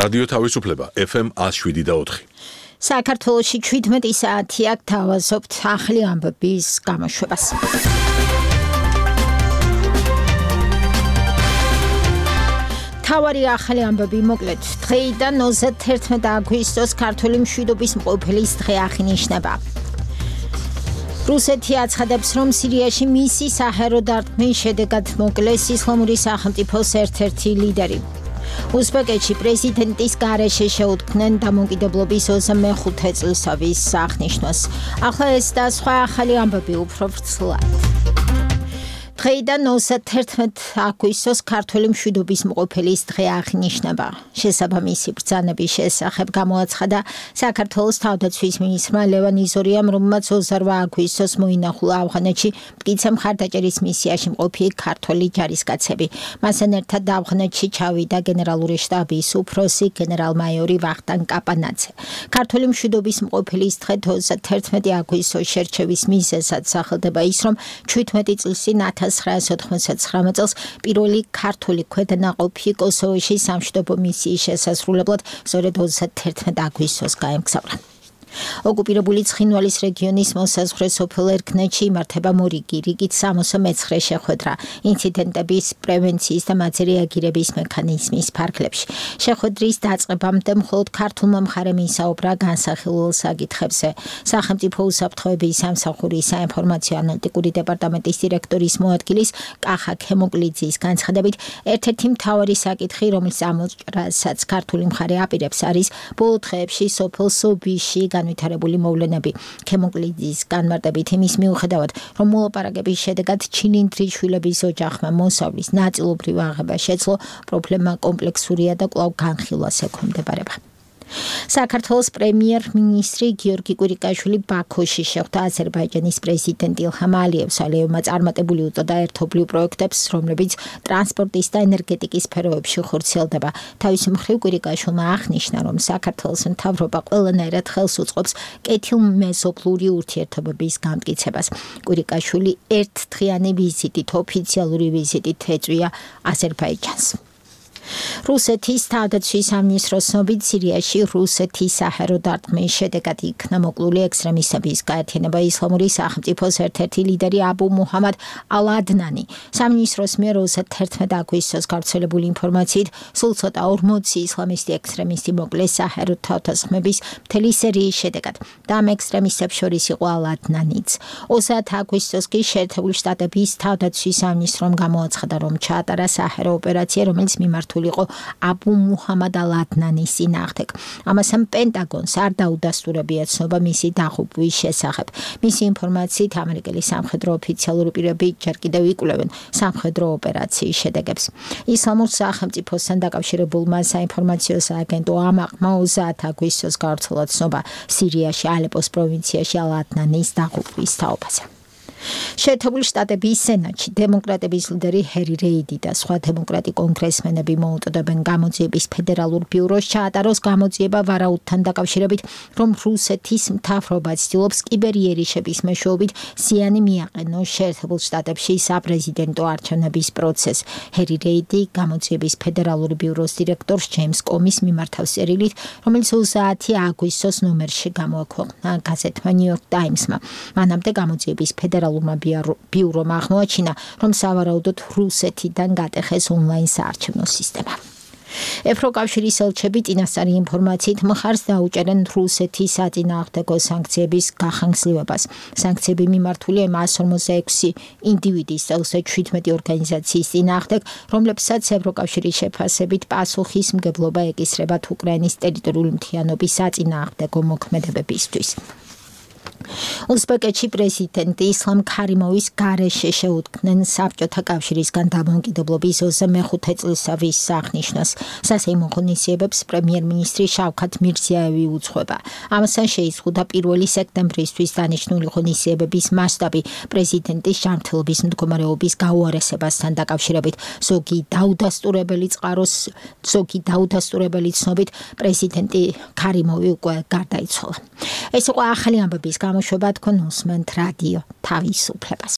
რადიო თავისუფლება FM 107.4. საქართველოში 17 საათი აქ თავაზობთ ახალი ამბების გამოშვებას. თავარი ახალი ამბები მოკლედ. დღეიდან 31 აგვისტოს ქართული მშვიდობის მყოფელის დღე აღინიშნება. რუსეთი აცხადებს, რომ სირიაში მისი საჰაერო დარტყმის შედეგად მოკლეს ისლამური სახელმწიფოს ერთ-ერთი ლიდერი. უზბეკეთში პრეზიდენტის გარეშე შეუდგნენ დამოუკიდებლობის 25 წლისავის აღნიშვნას. ახლა ეს და სხვა ახალი ამბები უფრო ვრცლად. დღეიდან 31 აგვისტოს ქართული მშვიდობის მყოფელის დღე აღინიშნება. შესაბამისი ბრძანების შესახებ გამოაცხადა საქართველოს თავდაცვის მინისტრმა ლევან იზორიამ, რომელმაც 28 აგვისტოს მოინახულა ავღანეთში მტკიცე მხარდაჭერის მისიაში მყოფი ქართული ჯარისკაცები. მასთან ერთად ავღანეთში ჩავიდა გენერალური შტაბის უფროსი გენერალ-მაიორი ვახტანგ კაპანაძე. ქართული მშვიდობის მყოფელის დღე 31 აგვისტოს შერჩევის მიზეზად სახელდება ის, რომ 17 წლის წინ 1999 წელს პირველი ქართული ქვედანაყოფი კოსოვოში სამშვიდობო მისიის შესასრულებლად სწორედ 31 აგვისტოს გაემგზავრა. ოკუპირებული ცხინვალის რეგიონის მოსაზღვრე სოფელ ერქნეთში იმართება მორიგი რიგით 69 შეხვედრა ინციდენტების პრევენციის და მათზე რეაგირების მექანიზმის ფარგლებში. შეხვედრის დაწყებამდე მხოლოდ ქართულმა მხარემ ისაუბრა განსახილულ საკითხებზე. სახელმწიფო უსაფრთხოების სამსახურის საინფორმაციო ანალიტიკური დეპარტამენტის დირექტორის მოადგილის კახა ქემოკლიძის განცხადებით, ერთ-ერთი მთავარი საკითხი, რომელიც ამოჭრასაც ქართული მხარე აპირებს, არის ბოლო დღეებში სოფელ სობიში განვითარებული მოვლენები. ქემოკლიძის განმარტებით იმის მიუხედავად, რომ მოლაპარაკების შედეგად ჩილინდრიშვილების ოჯახმა მოსავლის ნაწილობრივ აღება შეძლო, პრობლემა კომპლექსურია და კვლავ განხილვას ექვემდებარება. საქართველოს პრემიერ-მინისტრი გიორგი კვირიკაშვილი ბაქოში შეხვდა აზერბაიჯანის პრეზიდენტ ილჰამ ალიევს. ალიევმა წარმატებული უწოდა ერთობლივ პროექტებს, რომლებიც ტრანსპორტის და ენერგეტიკის სფეროებში ხორციელდება. თავის მხრივ კვირიკაშვილმა აღნიშნა, რომ საქართველოს მთავრობა ყველანაირად ხელს უწყობს კეთილმეზობლური ურთიერთობების გამტკიცებას. კვირიკაშვილი ერთდღიანი ვიზიტით, ოფიციალური ვიზიტით ეწვია აზერბაიჯანს. რუსეთის თავდაცვის სამინისტროს ცნობით, სირიაში რუსეთის საჰაერო დარტყმის შედეგად იქნა მოკლული ექსტრემისტების გაერთიანება ისლამური სახელმწიფოს ერთ-ერთი ლიდერი აბუ მუჰამად ალ-ადნანი. სამინისტროს მიერ 31 აგვისტოს გავრცელებული ინფორმაციით, სულ ცოტა 40 ისლამისტი ექსტრემისტი მოკლეს საჰაერო თავდასხმების მთელი სერიის შედეგად და ამ ექსტრემისტებს შორის იყო ალ-ადნანიც. 30 აგვისტოს კი შეერთებული შტატების თავდაცვის სამინისტრომ გამოაცხადა, რომ ჩაატარა საჰაერო ოპერაცია, რომელიც მიმართული იყო აბუ მუჰამად ალ-ადნანის წინააღმდეგ. ამასთან პენტაგონს არ დაუდასტურებია ცნობა მისი დაღუპვის შესახებ. მისი ინფორმაციით, ამერიკელი სამხედრო ოფიციალური პირები ჯერ კიდევ იკვლევენ სამხედრო ოპერაციის შედეგებს. ისლამურ სახელმწიფოსთან დაკავშირებულმა საინფორმაციო სააგენტო ამაყმა 30 აგვისტოს გავრცელა ცნობა სირიაში ალეპოს პროვინციაში ალ-ადნანის დაღუპვის თაობაზე. შეერთებული შტატების სენატში დემოკრატების ლიდერი ჰერი რეიდი და სხვა დემოკრატი კონგრესმენები მოუწოდებენ გამოძიების ფედერალურ ბიუროს ჩაატაროს გამოძიება ვარაუდთან დაკავშირებით, რომ რუსეთის მთავრობა ცდილობს კიბერიერიშების მეშვეობით ზიანი მიაყენოს შეერთებულ შტატებში საპრეზიდენტო არჩევნების პროცესს. ჰერი რეიდი გამოძიების ფედერალური ბიუროს დირექტორს ჯეიმს კომის მიმართავს წერილით, რომელიც 30 აგვისტოს ნომერში გამოაქვეყნა გაზეთმა ნიუ-იორკ ტაიმსმა. მანამდე გამოძიების ფედერალურ ბიურომ აღმოაჩინა, რომ სავარაუდოდ რუსეთიდან გატეხეს ონლაინ საარჩევნო სისტემა. ევროკავშირის ელჩები წინასწარი ინფორმაციით მხარს დაუჭერენ რუსეთის საწინააღმდეგო სანქციების გახანგრძლივებას. სანქციები მიმართულია 156 ინდივიდის და 17 ორგანიზაციის წინააღმდეგ, რომლებსაც ევროკავშირის შეფასებით პასუხისმგებლობა ეკისრებათ უკრაინის ტერიტორიული მთლიანობის საწინააღმდეგო მოქმედებებისთვის. უზბეკეთში პრეზიდენტი ისლამ ქარიმოვის გარეშე შეუდგნენ საბჭოთა კავშირისგან დამოუკიდებლობის 25 წლისავის აღნიშვნას. სასეიმო ღონისძიებებს პრემიერ-მინისტრი შავქათ მირზიაევი უძღვება. ამასთან შეიზღუდა 1 სექტემბრისთვის დანიშნული ღონისძიებების მასშტაბი პრეზიდენტის ჯანმრთელობის მდგომარეობის გაუარესებასთან დაკავშირებით. ზოგი დაუდასტურებელი ცნობით პრეზიდენტი ქარიმოვი უკვე გარდაიცვალა. ეს იყო ახალი ამბების გამოშვება, თქვენ უსმენთ რადიო თავისუფლებას.